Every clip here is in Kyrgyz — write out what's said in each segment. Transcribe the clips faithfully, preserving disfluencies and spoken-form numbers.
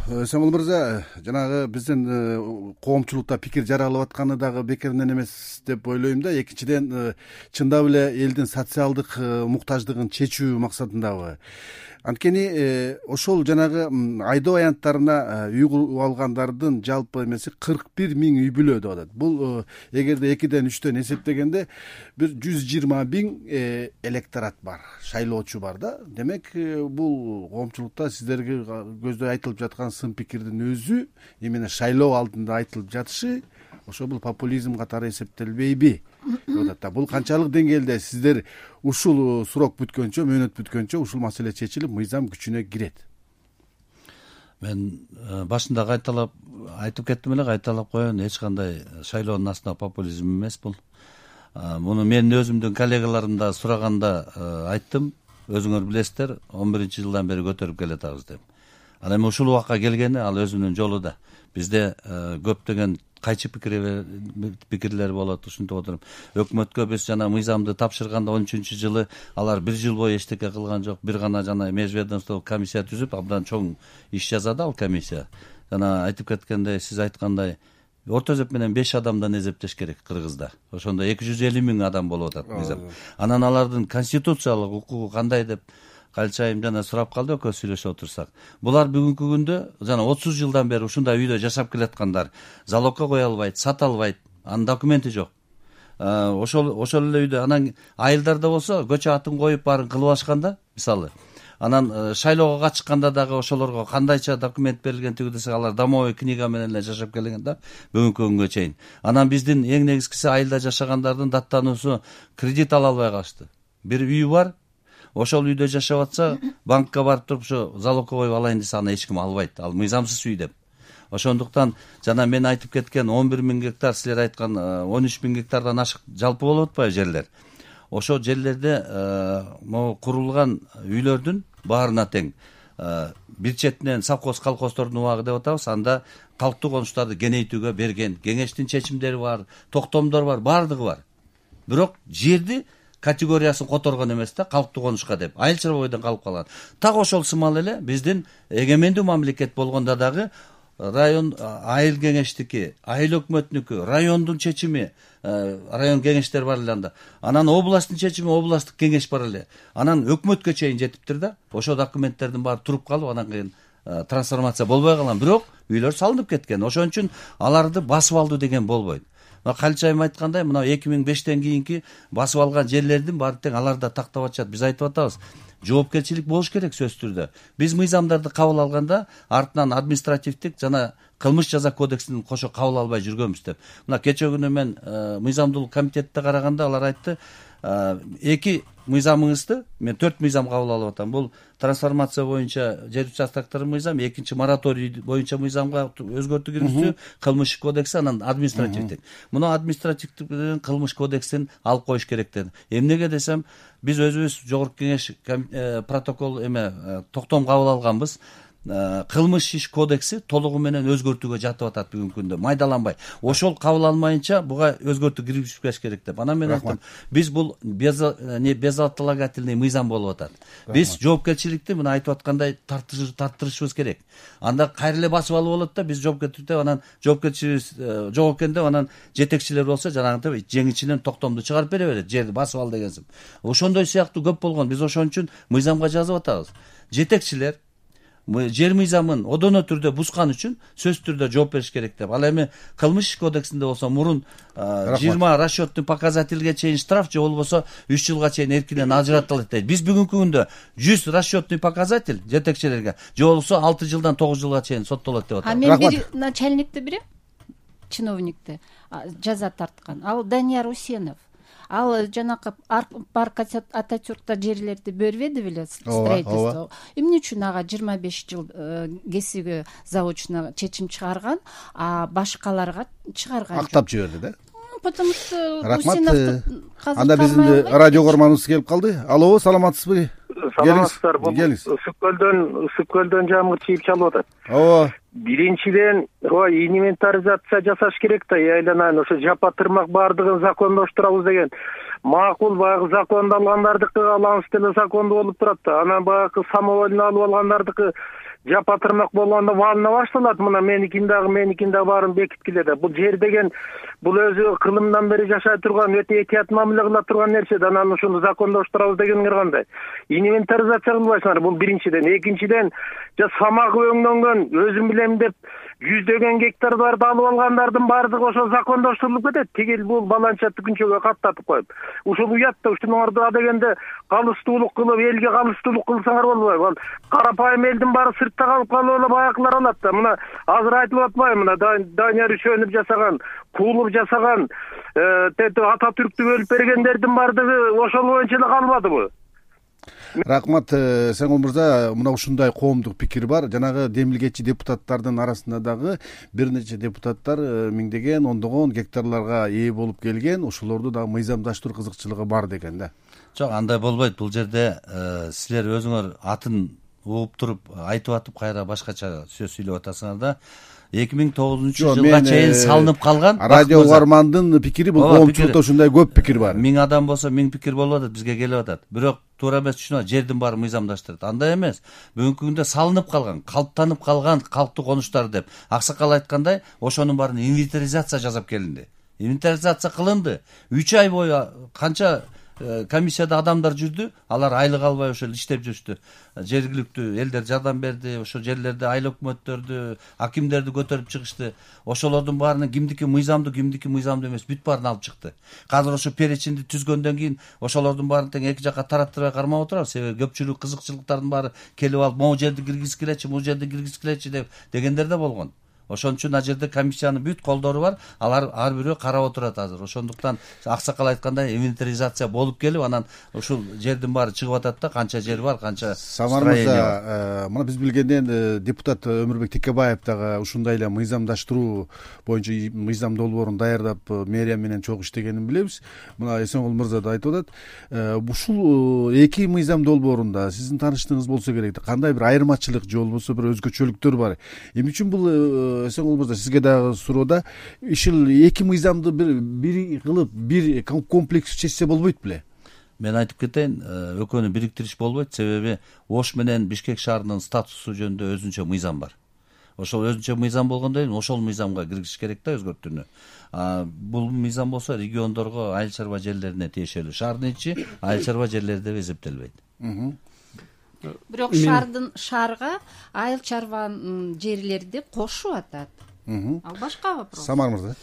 Самыл мырза, жанагы биздин коомчулукта пикир жаралып атканы дагы бекеринен эмес деп ойлойм да. Экинчиден, чындап эле элдин социалдык муктаждыгын чечүү максатындабы. Анткени ошол жанагы айдоо аянттарына үй куруп алгандардын жалпы эмеси кырк бир миң үй бүлө деп атат. Бул эгерде экиден үчтөн эсептегенде бир жүз жыйырма миң электорат бар, шайлоочу бар да. Демек, бул коомчулукта сиздерге көздөй айтылып жаткан сын пикирдин өзү именно шайлоо алдында айтылып жатышы ошо бул популизм катары эсептелбейби деп атат да. Бул канчалык деңгээлде сиздер ушул срок бүткөнчө, мөөнөт бүткөнчө ушул маселе чечилип, мыйзам күчүнө кирет? Мен башында кайталап айтып кеттим эле, кайталап коеюн, эч кандай шайлоонун астында популизм эмес бул. Муну менин өзүмдүн коллегаларым да сураганда айттым. Өзүңөр билесиздер, он биринчи жылдан бери көтөрүп келатабыз деп. Анан эми ушул убакка келгени ал өзүнүн жолу да. Бизде көптөгөн кайчы пикирлер болот, ушинтип отуруп. Өкмөткө биз жана мыйзамды тапшырганда он үчүнчү жылы алар бир жыл бою эчтеке кылган жок. Бир гана жана межведомстволук комиссия түзүп, абдан чоң иш жазады ал комиссия. Жана айтып кеткендей, сиз айткандай, орто эсеп менен беш адамдан эзептеш керек Кыргызда. Ошондо эки жүз элүү миң адам болуп атат мыйзам. Анан алардын конституциялык укугу кандай деп Калчайым жана сурап калды, экөөбүз сүйлөшүп отурсак. Булар бүгүнкү күндө жана отуз жылдан бери ушундай үйдө жашап келаткандар, залогко кое албайт, сата албайт, анын документи жок. Ошол ошол эле үйдө анан айылдарда болсо көчө атын коюп баарын кылып алышканда, мисалы. Анан шайлоого катышканда дагы ошолорго кандайча документ берилген тиги десек, алар домовой книга менен эле жашап келген да бүгүнкү күнгө чейин. Анан биздин эң негизгиси айылда жашагандардын даттануусу кредит ала албай калышты. Бир үй бар, ошол үйдө жашап атса, банкка барып туруп ушу залогко коюп алайын десе, аны эч ким албайт. Ал мыйзамсыз үй деп. Ошондуктан жана мен айтып кеткен он бир миң гектар, силер айткан он үч миң гектардан ашык жалпы болуп атпайбы жерлер. Ошол жерлерде могу курулган үйлөрдүн баарына тең. Бир четинен совхоз колхоздордун убагы деп атабыз, анда калктуу конуштарды кеңейтүүгө берген, кеңештин чечимдери бар, токтомдор бар, баардыгы бар. Бирок жерди категориясын которгон эмес да, калктуу конушка деп. Айыл чарбойдон калып калган. Так ошол сымал эле биздин эгемендүү мамлекет болгондо дагы район айыл кеңештики, айыл өкмөтүнүкү, райондун чечими, район кеңештер бар эле анда. Анан областтын чечими, областтык кеңеш бар эле. Анан өкмөткө чейин жетиптир да. Ошо документтердин баары туруп калып, анан кийин трансформация болбой калган. Бирок үйлөр салынып кеткен. Ошон үчүн аларды басып алды деген болбойт. Калчайым айткандай, мына эки миң бештен кийинки басып алган жерлердин баары тең аларда тактап атышат. Биз айтып атабыз, жоопкерчилик болуш керек сөзсүз түрдө. Биз мыйзамдарды кабыл алганда артынан административдик жана кылмыш жаза кодексин кошо кабыл албай жүргөнбүз деп. Мына кечээ күнү мен мыйзамдуулук комитетте караганда алар айтты, эки мыйзамыңызды, мен төрт мыйзам кабыл алып атам. Бул трансформация боюнча жер участоктор мыйзам, экинчи мораторий боюнча мыйзамга өзгөртүү киргизүү, кылмыш кодекси, анан административдик. Муну административдик менен кылмыш кодексин алып коюш керек деди. Эмнеге десем, биз өзүбүз жогорку кеңеш протокол эме токтом кабыл алганбыз. Кылмыш иш кодекси толугу менен өзгөртүүгө жатып атат бүгүнкү күндө, майдаланбай. Ошол кабыл алмайынча буга өзгөртүү киргизбеш керек деп. Анан мен айттым, биз бул безотлагательный мыйзам болуп атат. Биз жоопкерчиликти мына айтып аткандай тарттырышыбыз керек. Анда кайра эле басып алып болот да, биз жоопкерчиликте анан жоопкерчилик жок экен деп, анан жетекчилер болсо жанагынтип жеңичинен токтомду чыгарып бере берет, жерди басып ал дегенсип. Ошондой сыяктуу көп болгон. Биз ошон үчүн мыйзамга жазып атабыз. Жетекчилер жер мыйзамын одоно түрдө бузган үчүн сөзсүз түрдө жооп бериш керек деп. Ал эми кылмыш кодексинде болсо мурун жыйырма расчетный показательге чейин штраф, же болбосо үч жылга чейин эркинен ажыратылат дейт. Биз бүгүнкү күндө жүз расчетный показатель жетекчилерге, же болбосо алты жылдан тогуз жылга чейин соттолот деп атат. А мен бир начальникти билем, чиновникти жаза тарткан. Ал Данияр Усенов. Ал жанакы парк Ататюркта жерлерди бербеди беле, строительство. Эмне үчүн ага жыйырма беш жыл кесиби заочно чечим чыгарган, а башкаларга чыгарган жок. Актап жиберди да. Потому что Усеновду анда биздин радио көрманыбыз келип калды. Алло, саламатсызбы? Саламатсыздар. Бул ысык көлдөн ысык көлдөн жамгыр чийип чалып атат. Ооба. Биринчиден, ой, инвентаризация жасаш керек да, айланайын ошо жапа тырмак баардыгын закондоштурабыз деген. Макул, баягы закондалгандардыкы алаңыз деле закондуу болуп турат да. Анан баягы самовольно алып алгандардыкы жапатырмак болгондо валына башталат. Мына меникин дагы меникин дагы баарын бекиткиле да. Бул жер деген бул өзү кылымдан бери жашай турган, өтө этият мамиле кыла турган нерсе да. Анан ушуну закондоштурабыз дегениңер кандай? Инвентаризация кылбайсыңар, бул биринчиден. Экинчиден, жа самагы өңдөнгөн, өзүм билем деп жүздөгөн гектарларды алып алгандардын баардыгы ошо закондоштурулуп кетет. Тигил бул баланча түкүнчөгө каттатып коюп. Ушул уят да, ушунуңарды дегенде калыстуулук кылып, элге калыстуулук кылсаңар болбойбу? Ал карапайым элдин баары сыртта калып калып эле баягылар алат да. Мына азыр айтылып атпайбы, мына Данияр Үчөнов жасаган, Куулов жасаган, ата түрктү бөлүп бергендердин баардыгы ошол боюнча эле калбадыбы? Рахмат, Сеңгул мырза, мына ушундай коомдук пикир бар. Жанагы демилгечи депутаттардын арасында дагы бир нече депутаттар миңдеген, ондогон гектарларга ээ болуп келген, ошолорду дагы мыйзамдаштыруу кызыкчылыгы бар деген да. Жок, андай болбойт. Бул жерде силер өзүңөр атын ууп туруп айтып атып кайра башкача сөз сүйлөп атасыңар да. эки миң тогузунчу жылга чейин салынып калган радио угармандын пикири, бул коомчулукта ушундай көп пикир бар. Миң адам болсо миң пикир болуп атат, бизге келип атат. Бирок туура эмес, түшүнөт, жердин баары мыйзамдаштырат. Андай эмес. Бүгүнкү күндө салынып калган, калыптанып калган калктуу конуштар деп аксакал айткандай, ошонун баарын инвентаризация жасап келинди. Инвентаризация кылынды. үч ай бою канча комиссияда адамдар жүрдү, алар айлык албай ошол иштеп жүрүштү. Жергиликтүү элдер жардам берди, ошо жерлерде айыл өкмөттөрдү, акимдерди көтөрүп чыгышты. Ошолордун баарынан кимдики мыйзамдуу, кимдики мыйзамдуу эмес, бүт баарын алып чыкты. Азыр ошо перечинди түзгөндөн кийин ошолордун баарын тең эки жакка тараттырбай кармап отурабыз. Себеби көпчүлүк кызыкчылыктардын баары келип алып, могу жерди киргизгилечи, бул жерди киргизгилечи деп дегендер да болгон. Ошон үчүн ал жерде комиссиянын бүт колдору бар, алар ар бирөө карап отурат азыр. Ошондуктан аксакал айткандай инвентаризация болуп келип, анан ушул жердин баары чыгып атат да, канча жер бар, канча строение бар. Мына биз билгенден депутат Өмүрбек Текебаев дагы ушундай эле мыйзамдаштыруу боюнча мыйзам долбоорун даярдап мэрия менен чогуу иштегенин билебиз. Мына Эсенгул мырза да айтып атат. Ушул эки мыйзам долбоорунда сиздин тааныштыгыңыз болсо керек, кандай бир айырмачылык же болбосо бир өзгөчөлүктөр бар? Эмне үчүн бул Эсенгул мырза, сизге дагы суроода, ишил эки мыйзамды бир бир кылып, бир комплекс чечсе болбойт беле? Мен айтып кетейин, экөөнү бириктириш болбойт, себеби Ош менен Бишкек шаарынын статусу жөнүндө өзүнчө мыйзам бар. Ошол өзүнчө мыйзам болгондон кийин ошол мыйзамга киргизиш керек да, өзгөртүүнү. Бул мыйзам болсо региондорго, айыл чарба жерлерине тиешелүү. Шаардын ичи айыл чарба жерлери деп эсептелбейт. Бирок шаардын шаарга айыл чарбанын жерлери деп кошуп атат. Ал башка вопрос. Самар мырза.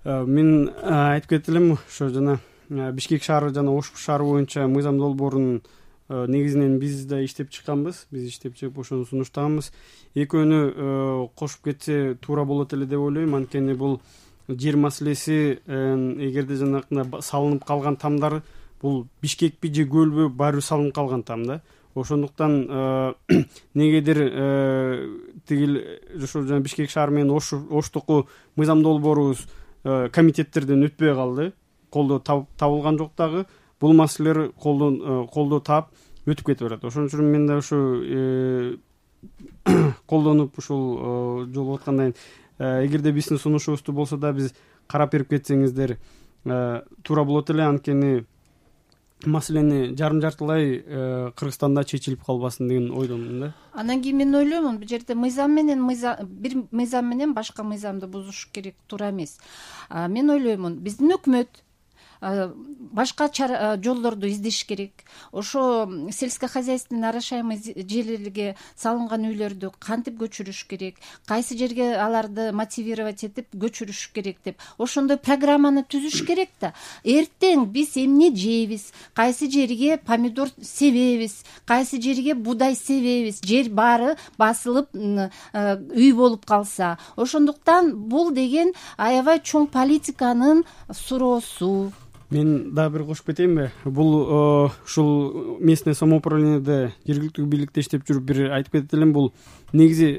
Мен айтып кетти элем, ошо жана Бишкек шаары жана Ош шаары боюнча мыйзам долбоорун негизинен биз да иштеп чыкканбыз, биз иштеп чыгып ошону сунуштаганбыз. Экөөнү кошуп кетсе туура болот эле деп ойлойм, анткени бул жер маселеси, эгерде жанакындай салынып калган тамдар, бул Бишкекпи же көлбү, баары бир салынып калган там да. Ошондуктан негедир тигил ошо жана Бишкек шаары менен Оштуку мыйзам долбоорубуз комитеттерден өтпөй калды, колдоо табылган жок дагы. Бул маселелер колдоо таап өтүп кетип барат. Ошон үчүн мен да ушу колдонуп ушул жолуп аткандан кийин, эгерде биздин сунушубузду болсо да биз карап берип кетсеңиздер туура болот эле, анткени маселени жарым жартылай Кыргызстанда чечилип калбасын деген ойдомун да. Анан кийин мен ойлоймун, бул жерде мыйзам менен бир мыйзам менен башка мыйзамды бузуш керек, туура эмес. Мен ойлоймун, биздин өкмөт башка жолдорду издеш керек. Ошо сельскохозяйственный орошаемый жерлерге салынган үйлөрдү кантип көчүрүш керек, кайсы жерге аларды мотивировать этип көчүрүш керек деп ошондой программаны түзүш керек да. Эртең биз эмне жейбиз, кайсы жерге помидор себебиз, кайсы жерге буудай себебиз, жер баары басылып үй болуп калса. Ошондуктан бул деген аябай чоң политиканын суроосу. Мен дагы бир кошуп кетейинби? Бул ушул местное самоуправлениеде, жергиликтүү бийликте иштеп жүрүп бир айтып кетет элем, бул негизи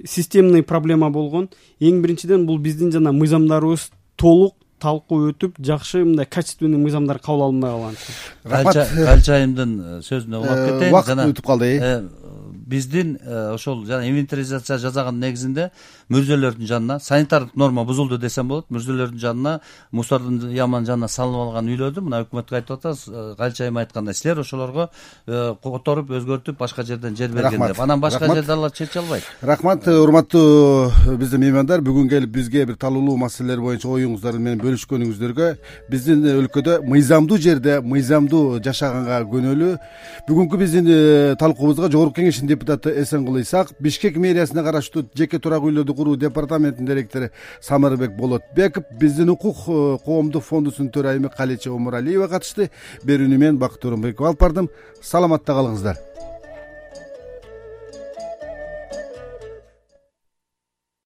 системный проблема болгон. Эң биринчиден бул биздин жана мыйзамдарыбыз толук талкуу өтүп, жакшы мындай качественный мыйзамдар кабыл алынбай калган. Калчайымдын сөзүнө улап кетейин. Убакыт өтүп калды. биздин ошол жана инвентаризация жасаган негизинде мүрзөлөрдүн жанына санитардык норма бузулду десем болот, мүрзөлөрдүн жанына мусордун яманын жанына салынып алган үйлөрдү мына өкмөткө айтып атабыз, кайча айым айткандай силер ошолорго которуп өзгөртүп башка жерден жер берген деп, анан башка жерде алар чече албайт. Рахмат, урматтуу биздин меймандар, бүгүн келип бизге бир талуулуу маселелер боюнча оюңуздар менен бөлүшкөнүңүздөргө, биздин өлкөдө мыйзамдуу жерде мыйзамдуу жашаганга көнөлүү. Бүгүнкү биздин талкуубузга Жогорку Кеңештин депутаты Эсенгул Исаков, Бишкек мэриясына караштуу жеке турак үйлөрдү куруу департаментинин директору Самырбек Болотбеков, биздин укук коомдук фондусунун төрайымы Калеча Омуралиева катышты. Берүүнү мен Бакыт Орунбеков алып бардым. Саламатта калыңыздар.